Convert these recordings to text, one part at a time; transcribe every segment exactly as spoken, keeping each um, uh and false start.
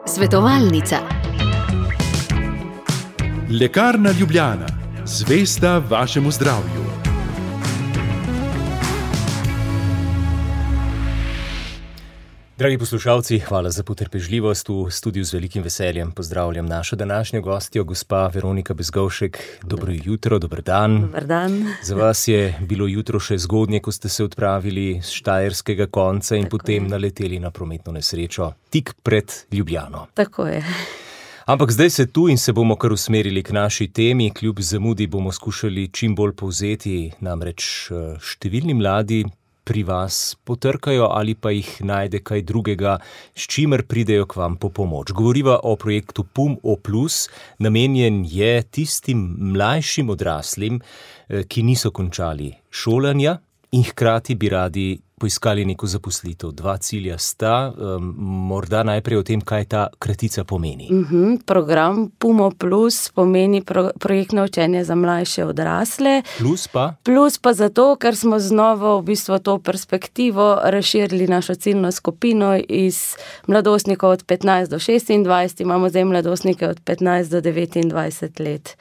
Svetovalnica. Lekarna Ljubljana, zvesta vašemu zdravju. Dragi poslušalci, hvala za potrpežljivost. V studiu z velikim veseljem pozdravljam našo današnjo gostjo, gospa Veronika Bezgovšek. Dobro jutro, dober dan. Dober dan. Za vas je bilo jutro še zgodnje, ko ste se odpravili z štajerskega konca in Tako potem je. naleteli na prometno nesrečo tik pred Ljubljano. Tako je. Ampak zdaj se tu in se bomo kar usmerili k naši temi. Kljub zamudi bomo skušali čim bolj povzeti, namreč številni mladi pri vas potrkajo ali pa jih najde kaj drugega, s čimer pridejo k vam po pomoč. Govoriva o projektu P U M O plus, namenjen je tistim mlajšim odraslim, ki niso končali šolanja in hkrati bi radi poiskali neko zaposlitev. Dva cilja sta, um, morda najprej o tem, kaj ta kratica pomeni. Uh-huh. Program P U M O plus pomeni pro, projektno učenje za mlajše odrasle. Plus pa? Plus pa zato, ker smo znova v bistvu to perspektivo razširili našo ciljno skupino iz mladostnikov od petnajst do šestindvajset, imamo zdaj mladostnike od petnajst do devetindvajset let.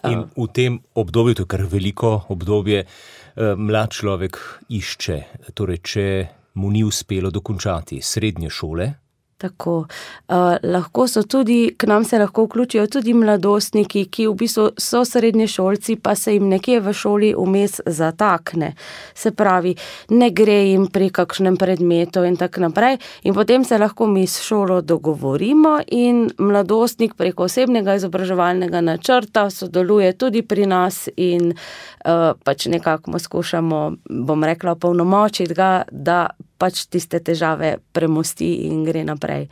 In v tem obdobju, to je kar veliko obdobje, mlad človek išče, torej če mu ni uspelo dokončati srednje šole. Tako. Uh, lahko so tudi, k nam se lahko vključijo tudi mladostniki, ki v bistvu so srednješolci, pa se jim nekje v šoli vmes zatakne. Se pravi, ne gre jim pri kakšnem predmetu in tako naprej. In potem se lahko mi s šolo dogovorimo in mladostnik preko osebnega izobraževalnega načrta sodeluje tudi pri nas in uh, pač nekako mu skušamo, bom rekla, opolnomočiti ga, da pač tiste težave premosti in gre naprej.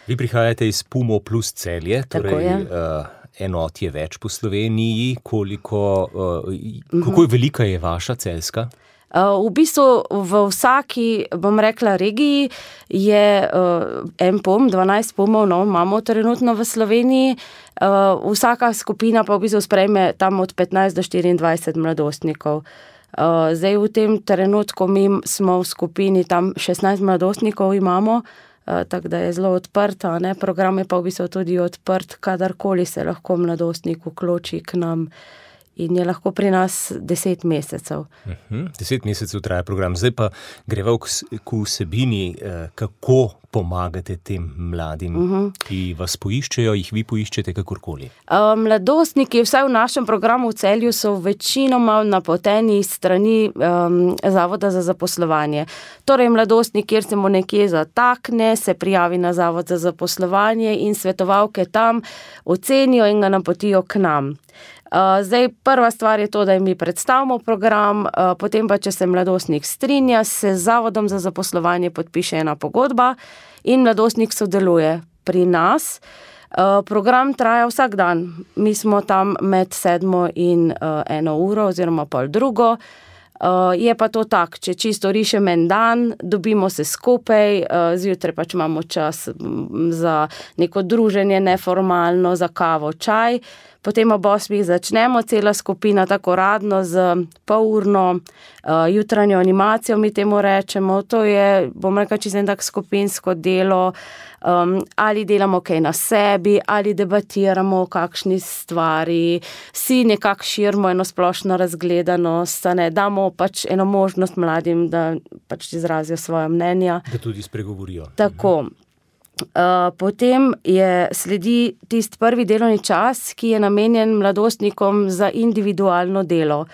Vi prihajate iz P U M O plus Celje, torej uh, enot je več po Sloveniji. Koliko, uh, uh-huh. Kako je velika je vaša celjska? Uh, v bistvu v vsaki, bom rekla, regiji je uh, en P U M, dvanajst P U M-ov, no, imamo trenutno v Sloveniji. Uh, vsaka skupina pa v bistvu sprejme tam od petnajst do štiriindvajset mladostnikov. Uh, zdaj v tem trenutku mi smo v skupini, tam šestnajst mladostnikov imamo, uh, tako da je zelo odprta, ne? Program je pa v bistvu tudi odprt, kadarkoli se lahko mladostnik vključi k nam in je lahko pri nas deset mesecev. Uh-huh. Deset mesecev traja program. Zdaj pa greva k vsebini, kako pomagate tem mladim, uh-huh. ki vas poiščejo, jih vi poiščete kakorkoli. Uh, mladostniki, vsaj v našem programu v Celju, so večinoma napoteni strani um, Zavoda za zaposlovanje. Torej, mladostnik, kjer se mu nekje zatakne, se prijavi na Zavod za zaposlovanje in svetovalke tam ocenijo in ga napotijo k nam. Uh, zdaj, prva stvar je to, da jim mi predstavimo program, uh, potem pa, če se mladostnik strinja, se z Zavodom za zaposlovanje podpiše ena pogodba in mladostnik sodeluje pri nas. Uh, program traja vsak dan. Mi smo tam med sedmo in uh, eno uro oziroma pol drugo. Uh, je pa to tak, če čisto rišem en dan, dobimo se skupaj, uh, zjutraj pač imamo čas za neko druženje neformalno, za kavo, čaj. Potem ob osmih začnemo, cela skupina tako radno z polurno uh, jutranjo animacijo, mi temu rečemo. To je, bom rekla, čisto en tak skupinsko delo, um, ali delamo kaj na sebi, ali debatiramo o kakšni stvari, si nekako širimo eno splošno razgledanost, ne, damo pač eno možnost mladim, da pač izrazijo svoje mnenja. Da tudi spregovorijo. Tako. Uh, potem je sledi tisti prvi delovni čas, ki je namenjen mladostnikom za individualno delo.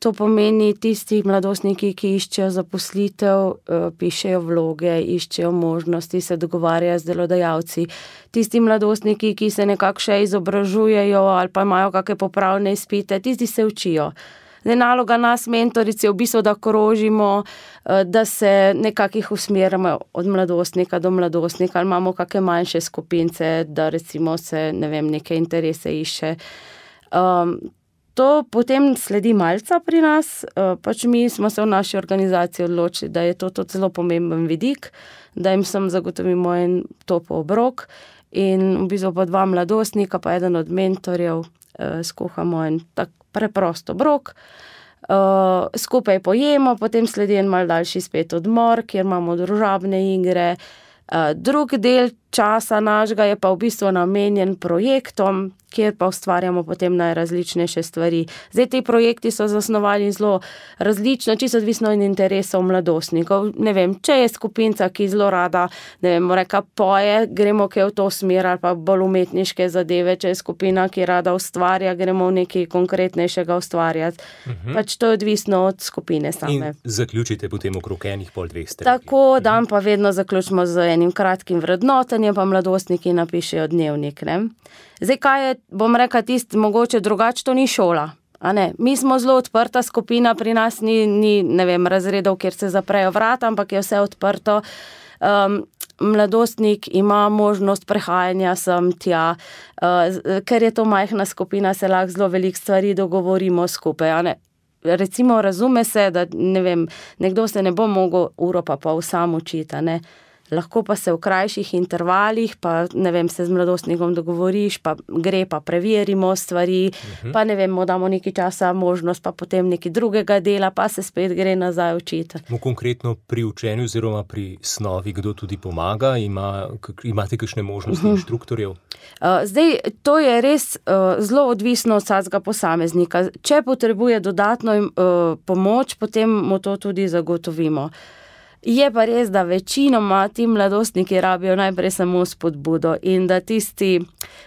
To pomeni tisti mladostniki, ki iščejo zaposlitev, uh, pišejo vloge, iščejo možnosti, se dogovarjajo z delodajalci. Tisti mladostniki, ki se nekako še izobražujejo ali pa imajo kakšne popravne izpite, tisti se učijo. Zdaj, naloga nas, mentorici, je v bistvu, da krožimo, da se nekakih usmerimo od mladostnika do mladostnika, ali imamo kakšne manjše skupince, da recimo se, ne vem, neke interese išče. Um, to potem sledi malca pri nas, uh, pač mi smo se v naši organizaciji odločili, da je to tudi zelo pomemben vidik, da jim sem zagotovimo en topel obrok in v bistvu pa dva mladostnika, pa eden od mentorjev, uh, skuhamo en tak preprost obrok, uh, skupaj pojemo, potem sledi en mal daljši spet odmor, kjer imamo družabne igre, Drug del časa našega je pa v bistvu namenjen projektom, kjer pa ustvarjamo potem najrazličnejše stvari. Zdaj, ti projekti so zasnovali zelo različno, čisto odvisno od interesov mladostnikov. Ne vem, če je skupinca, ki zelo rada, ne vem, reka poje, gremo kaj v to smer ali pa bolj umetniške zadeve, če je skupina, ki rada ustvarja, gremo v nekaj konkretnejšega ustvarjati. Uh-huh. Pač to je odvisno od skupine same. In zaključite potem okrog enih pol dveh strani. Tako, dan pa vedno zaključimo z enim kratkim vrednotenjem, pa mladostniki napišejo dnevnik, ne. Zdaj, kaj je, bom rekla, tisti mogoče drugače, to ni šola, a ne. Mi smo zelo odprta skupina, pri nas ni, ni, ne vem, razredov, kjer se zaprejo vrata, ampak je vse odprto. Um, mladostnik ima možnost prehajanja sem tja, uh, ker je to majhna skupina, se lahko zelo veliko stvari dogovorimo skupaj, a ne. Recimo, razume se, da, ne vem, nekdo se ne bo mogel uro pa pol sam učiti, a ne. Lahko pa se v krajših intervalih, pa ne vem, se z mladostnikom dogovoriš, pa gre, pa preverimo stvari, uh-huh. pa ne vem, mu damo nekaj časa možnost, pa potem nekaj drugega dela, pa se spet gre nazaj učiti. No, konkretno pri učenju oziroma pri snovi, kdo tudi pomaga, ima, imate kakšne možnosti uh-huh. inštruktorjev? Uh, zdaj, to je res uh, zelo odvisno od vsakega posameznika. Če potrebuje dodatno uh, pomoč, potem mu to tudi zagotovimo. Je pa res, da večinoma ti mladostniki rabijo najprej samo spodbudo in da tisti,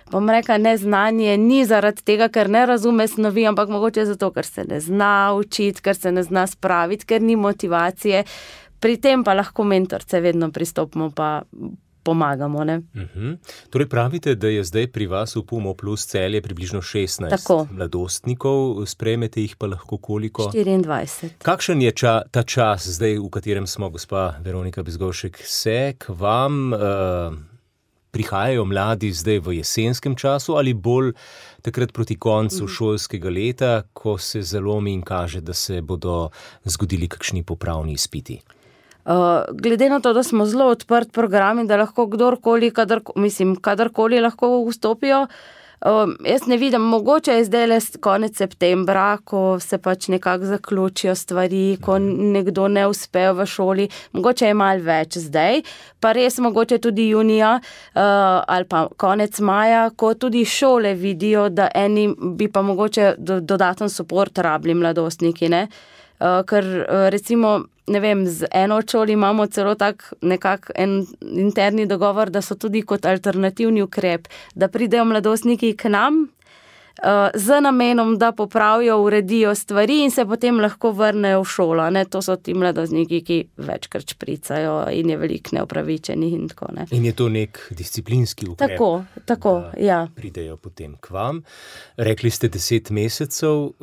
bom rekla, neznanje ni zaradi tega, ker ne razume snovi, ampak mogoče zato, ker se ne zna učiti, ker se ne zna spraviti, ker ni motivacije. Pri tem pa lahko mentorce vedno pristopimo pa pomagamo, ne. Uh-huh. Torej pravite, da je zdaj pri vas v Pumo plus Celje približno šestnajst Tako. Mladostnikov, sprejmete jih pa lahko koliko? štiriindvajset. Kakšen je ča, ta čas zdaj, v katerem smo, gospa Veronika Bezgovšek, se k vam uh, prihajajo mladi zdaj v jesenskem času ali bolj takrat proti koncu uh-huh. šolskega leta, ko se zalomi in kaže, da se bodo zgodili kakšni popravni izpiti? Uh, glede na to, da smo zelo odprt program in da lahko kdorkoli, kadar, mislim, kadarkoli lahko vstopijo, uh, jaz ne vidim, mogoče je zdaj le konec septembra, ko se pač nekako zaključijo stvari, ko nekdo ne uspe v šoli, mogoče je malo več zdaj, pa res mogoče tudi junija uh, ali pa konec maja, ko tudi šole vidijo, da eni bi pa mogoče do, dodaten suport rabili mladostniki, ne, uh, ker uh, recimo ne vem, z eno šoli imamo celo tak nekak en interni dogovor, da so tudi kot alternativni ukrep, da pridejo mladostniki k nam uh, z namenom, da popravijo, uredijo stvari in se potem lahko vrnejo v šolo. Ne? To so ti mladostniki, ki večkrat špricajo in je veliko neopravičenih in tako. Ne? In je to nek disciplinski ukrep. Tako, tako, ja. Pridejo potem k vam. Rekli ste deset mesecev,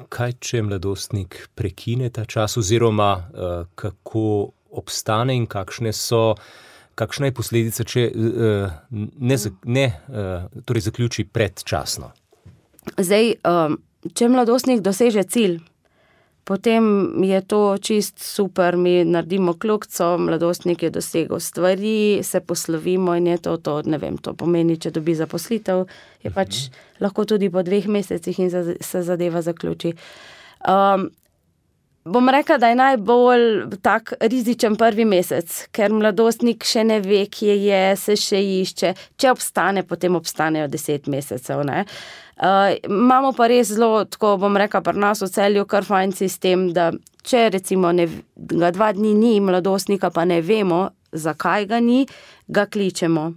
kaj če mladostnik prekine ta čas oziroma kako obstane in kakšne so, kakšna je posledica, če ne, ne torej zaključi predčasno? Zdaj, če mladostnik doseže cilj, potem je to čist super, mi naredimo kljukico, mladostnik je dosegel stvari, se poslovimo in je to, to, ne vem, to pomeni, če dobi zaposlitev, je pač lahko tudi po dveh mesecih in se zadeva zaključi. Um, bom rekla, da je najbolj tak rizičen prvi mesec, ker mladostnik še ne ve, kje je, se še išče, če obstane, potem obstanejo deset mesecev, ne. Uh, imamo pa res zelo, tako bom rekla, pri nas v Celju kar fajn sistem, da če recimo ne, ga dva dni ni, mladostnika pa ne vemo, zakaj ga ni, ga kličemo.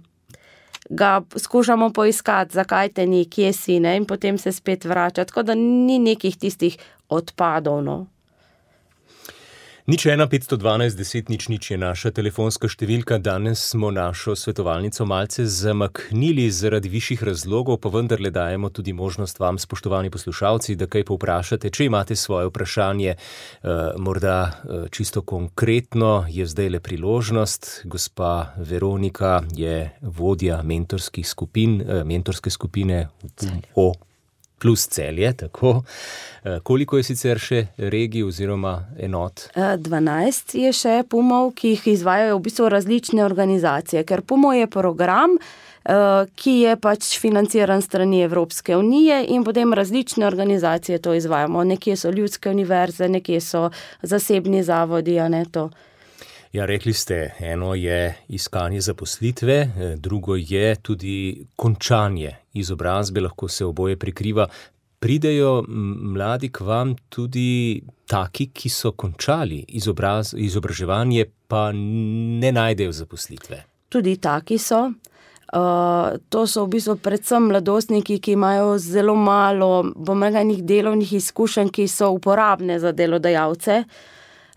Ga skušamo poiskati, zakaj te ni, kje si, ne, in potem se spet vrača, tako da ni nekih tistih odpadov, no. Nič ena petsto dvanajst deset nič nič je naša telefonska številka. Danes smo našo svetovalnico malce zamaknili zaradi višjih razlogov, pa vendarle dajemo tudi možnost vam, spoštovani poslušalci, da kaj povprašate. Če imate svoje vprašanje, morda čisto konkretno, je zdaj le priložnost. Gospa Veronika je vodja mentorskih skupin, mentorske skupine o plus Celje, tako. Koliko je sicer še regij oziroma enot? dvanajst je še Pumov, ki jih izvajajo v bistvu različne organizacije, ker Pumo je program, ki je pač financiran strani Evropske unije in potem različne organizacije to izvajamo. Nekje so ljudske univerze, nekje so zasebni zavodi, a ne to. Ja, rekli ste, eno je iskanje zaposlitve, drugo je tudi končanje izobrazbe, lahko se oboje prikriva. Pridejo mladi k vam tudi taki, ki so končali izobraz, izobraževanje, pa ne najdejo zaposlitve? Tudi taki so. Uh, to so v bistvu predvsem mladostniki, ki imajo zelo malo, bom rekla, enih delovnih izkušenj, ki so uporabne za delodajalce.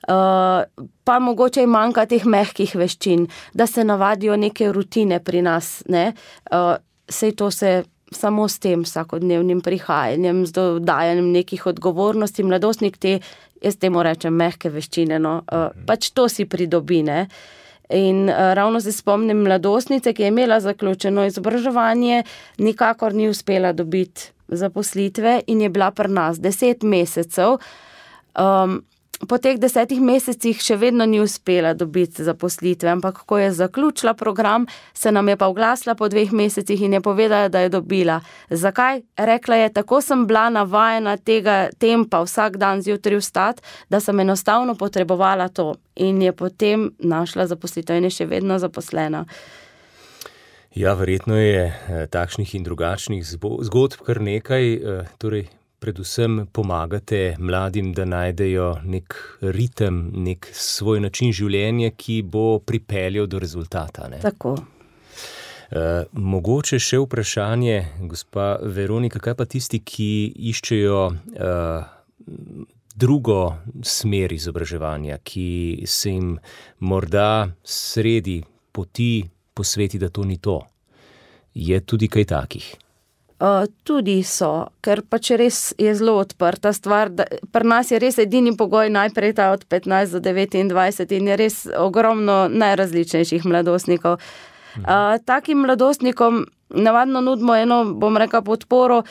Uh, pa mogoče jim manjka teh mehkih veščin, da se navadijo neke rutine pri nas. Ne? Uh, sej to se samo s tem vsakodnevnim prihajanjem, z dodajanjem nekih odgovornosti. Mladostnik te, jaz temu rečem, mehke veščine, no, uh, pač to si pridobi, ne. In uh, ravno se spomnim mladostnice, ki je imela zaključeno izobraževanje, nikakor ni uspela dobiti zaposlitve in je bila pri nas deset mesecev. Um, Po teh desetih mesecih še vedno ni uspela dobiti zaposlitve, ampak ko je zaključila program, se nam je pa oglasila po dveh mesecih in je povedala, da je dobila. Zakaj? Rekla je, tako sem bila navajena tega tempa vsak dan zjutraj vstati, da sem enostavno potrebovala to. In je potem našla zaposlitev in je še vedno zaposlena. Ja, verjetno je takšnih in drugačnih zgodb kar nekaj, torej predvsem pomagate mladim, da najdejo nek ritem, nek svoj način življenja, ki bo pripeljal do rezultata. Ne? Tako. Uh, mogoče še vprašanje, gospa Veronika, kaj pa tisti, ki iščejo uh, drugo smer izobraževanja, ki se jim morda sredi poti posveti, da to ni to. Je tudi kaj takih? Uh, tudi so, ker pač res je zelo odprta stvar. Da, pri nas je res edini pogoj najprej ta od petnajst do devetindvajset in je res ogromno najrazličnejših mladostnikov. Uh, takim mladostnikom navadno nudimo eno, bom rekla, podporo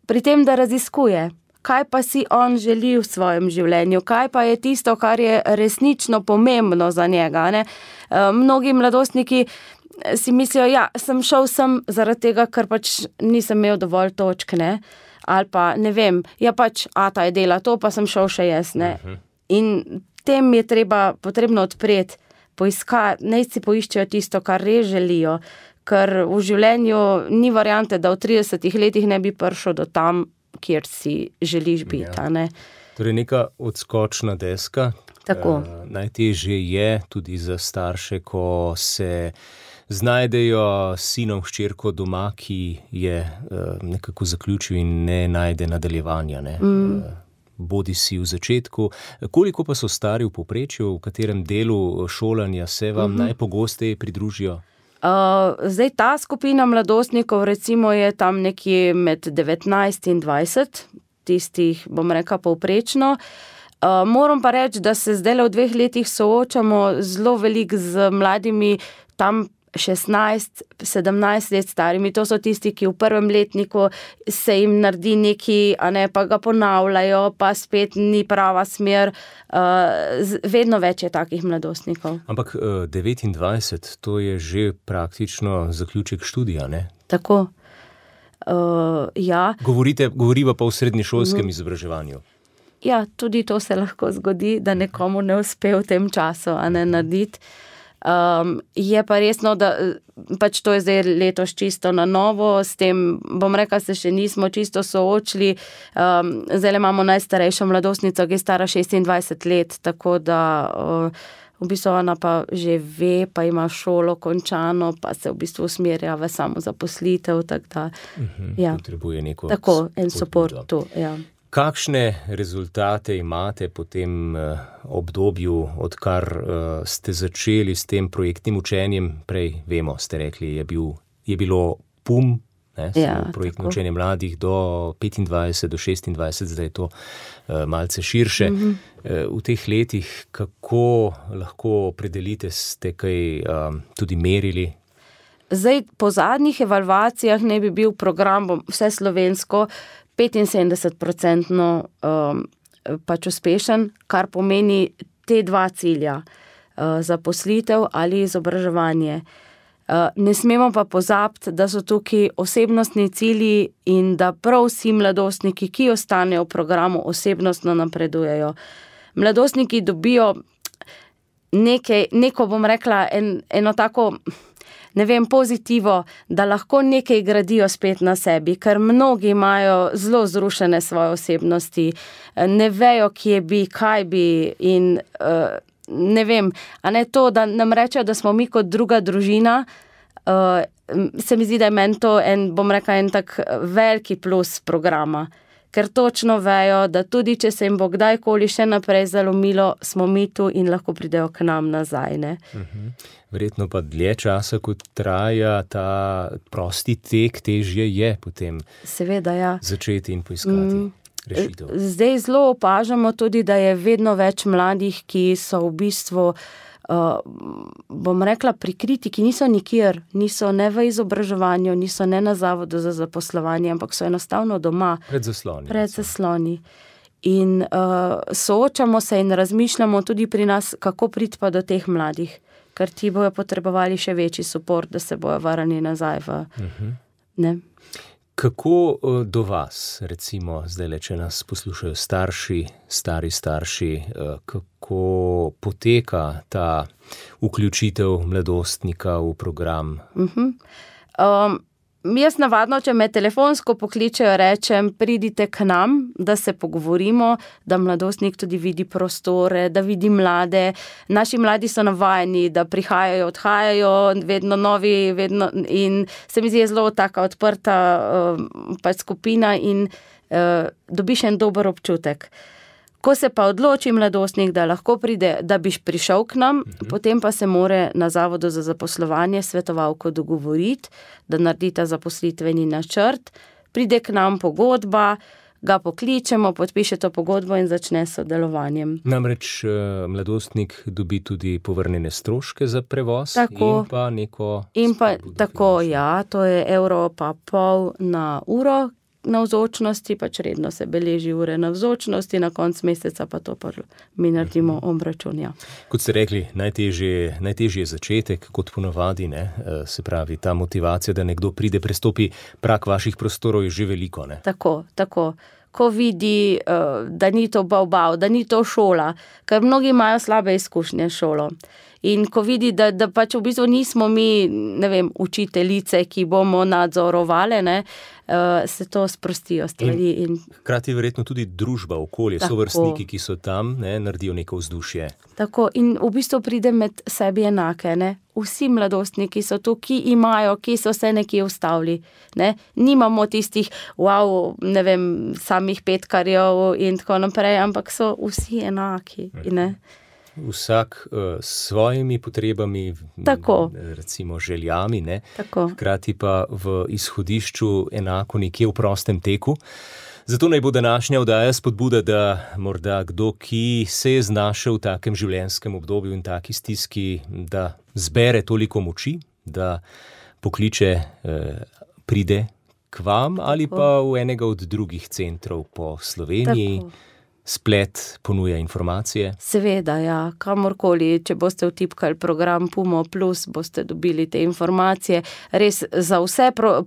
pri tem, da raziskuje, kaj pa si on želi v svojem življenju, kaj pa je tisto, kar je resnično pomembno za njega. Ne? Uh, mnogi mladostniki si mislijo, ja, sem šel sem zaradi tega, ker pač nisem imel dovolj točk, ne, ali pa, ne vem, ja pač, ata je dela to, pa sem šel še jaz, ne. Uh-huh. In tem je treba, potrebno odpreti, poiskati, naj si poiščejo tisto, kar res želijo, ker v življenju ni variante, da v tridesetih letih ne bi prišel do tam, kjer si želiš biti, ja. Ne. Torej neka odskočna deska. Tako. Uh, najtežje je tudi za starše, ko se znajdejo sinom hčerko doma, ki je uh, nekako zaključil in ne najde nadaljevanja. Ne? Mm. Uh, bodi si v začetku. Koliko pa so stari v povprečju, v katerem delu šolanja se vam mm-hmm. najpogosteje pridružijo? Uh, zdaj ta skupina mladostnikov recimo je tam nekje med devetnajst in dvajset, tistih, bom rekla, povprečno. Uh, moram pa reči, da se zdaj v dveh letih soočamo zelo veliko z mladimi tam šestnajst, sedemnajst let starimi. To so tisti, ki v prvem letniku se jim naredi neki, a ne, pa ga ponavljajo, pa spet ni prava smer. Uh, vedno več je takih mladostnikov. Ampak uh, devetindvajset, to je že praktično zaključek študija, ne? Tako. Uh, ja. Govorite, govoriva pa v srednješolskem mm. izobraževanju. Ja, tudi to se lahko zgodi, da nekomu ne uspe v tem času, a ne narediti. Um, je pa resno, da pač to je zdaj letos čisto na novo, s tem, bom rekla, se še nismo čisto soočili. Um, zdaj imamo najstarejšo mladostnico, ki je stara šestindvajset let, tako da uh, v bistvu ona pa že ve, pa ima šolo končano, pa se v bistvu usmerja v samozaposlitev, tako da uh-huh, ja. Potrebuje neko tako, en support tu, ja. Kakšne rezultate imate po tem uh, obdobju, odkar uh, ste začeli s tem projektnim učenjem? Prej, vemo, ste rekli, je, bil, je bilo P U M, ne, ja, projektno učenje mladih do petindvajset, do šestindvajset, zdaj je to uh, malce širše. Mm-hmm. Uh, v teh letih, kako lahko opredelite, ste kaj um, tudi merili? Zdaj, po zadnjih evalvacijah ne bi bil program vse slovensko petinsedemdeset procentno um, pač uspešen, kar pomeni te dva cilja, uh, zaposlitev ali izobraževanje. Uh, ne smemo pa pozabiti, da so tukaj osebnostni cilji in da prav vsi mladostniki, ki ostanejo v programu, osebnostno napredujejo. Mladostniki dobijo nekaj, neko bom rekla, en, eno tako, ne vem, pozitivo, da lahko nekaj gradijo spet na sebi, ker mnogi imajo zelo zrušene svoje osebnosti, ne vejo, kje bi, kaj bi in uh, ne vem, a ne to, da nam rečejo, da smo mi kot druga družina, uh, se mi zdi, da je meni to en, bom rekla, en tak veliki plus programa. Ker točno vejo, da tudi če se jim bo kdajkoli še naprej zalomilo, smo mi tu in lahko pridejo k nam nazaj. Ne? Uh-huh. Verjetno pa dlje časa, kot traja ta prosti tek, težje je potem Seveda, ja. začeti in poiskati mm, rešitev. Zdaj zelo opažamo tudi, da je vedno več mladih, ki so v bistvu Uh, bom rekla prikriti, ki niso nikjer, niso ne v izobraževanju, niso ne na zavodu za zaposlovanje, ampak so enostavno doma. Pred zasloni. Pred zasloni. In uh, soočamo se in razmišljamo tudi pri nas, kako priti pa do teh mladih, ker ti bojo potrebovali še večji suport, da se bojo varani nazaj v, uh-huh. ne. Kako do vas, recimo, zdaj, če nas poslušajo starši, stari starši, kako poteka ta vključitev mladostnika v program? Uh-huh. Um, jaz navadno, če me telefonsko pokličejo, rečem, pridite k nam, da se pogovorimo, da mladostnik tudi vidi prostore, da vidi mlade. Naši mladi so navajeni, da prihajajo, odhajajo, vedno novi, vedno in se mi zdi zelo taka odprta uh, pač skupina in uh, dobiš en dober občutek. Ko se pa odloči mladostnik, da lahko pride, da biš prišel k nam, uh-huh. potem pa se more na Zavodu za zaposlovanje svetovalko dogovoriti, da naredi ta zaposlitveni načrt, pride k nam pogodba, ga pokličemo, podpiše to pogodbo in začne s sodelovanjem. Namreč mladostnik dobi tudi povrnjene stroške za prevoz tako, in pa neko... In pa tako, ja, to je evro pa pol na uro, navzočnosti, pač redno se beleži ure navzočnosti, na konc meseca pa to pa mi naredimo obračun. Ja. Kot ste rekli, najtežje, najtežje je začetek, kot ponavadi, ne? Se pravi, ta motivacija, da nekdo pride, prestopi prag vaših prostorov, je že veliko. Ne? Tako, tako. Ko vidi, da ni to bav-bav, da ni to šola, ker mnogi imajo slabe izkušnje s šolo. In ko vidi, da, da pač v bistvu nismo mi, ne vem, učiteljice, ki bomo nadzorovali, ne, se to sprostijo stvari. In, in... Hkrati verjetno tudi družba, okolje, tako. Sovrstniki, ki so tam, ne, naredijo neko vzdušje. Tako, in v bistvu pride med sebi enake, ne. Vsi mladostniki so tu, ki imajo, ki so se nekje ustavili. Ne? Nimamo tistih, wow, ne vem, samih petkarjev in tako naprej, ampak so vsi enaki. Ne? Vsak uh, s svojimi potrebami, tako. recimo željami, ne? Tako. Hkrati pa v izhodišču enako nekje v prostem teku. Zato naj bo današnja oddaja spodbuda, da morda kdo, ki se je znašel v takem življenjskem obdobju in taki stiski, da zbere toliko moči, da pokliče, eh, pride k vam ali tako. Pa v enega od drugih centrov po Sloveniji. Tako. Splet ponuja informacije. Seveda, ja, kamorkoli, če boste vtipkali program Pumo Plus, boste dobili te informacije. Res za vse pro-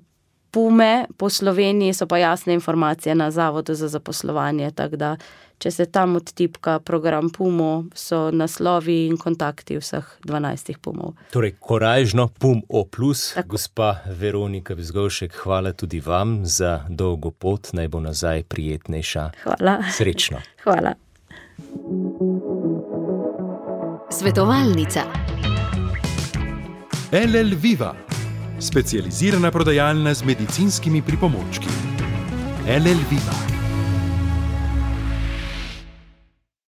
Pume po Sloveniji so pa jasne informacije na Zavodu za zaposlovanje, tako da, če se tam odtipka program Pumo, so naslovi in kontakti vseh dvanajstih Pumov. Torej, korajžno Pum O plus. Tako. Gospa Veronika Bezgovšek, hvala tudi vam za dolgo pot, naj bo nazaj prijetnejša. Hvala. Srečno. Hvala. Svetovalnica. L L Viva, specializirana prodajalna z medicinskimi pripomočki. L L Viva.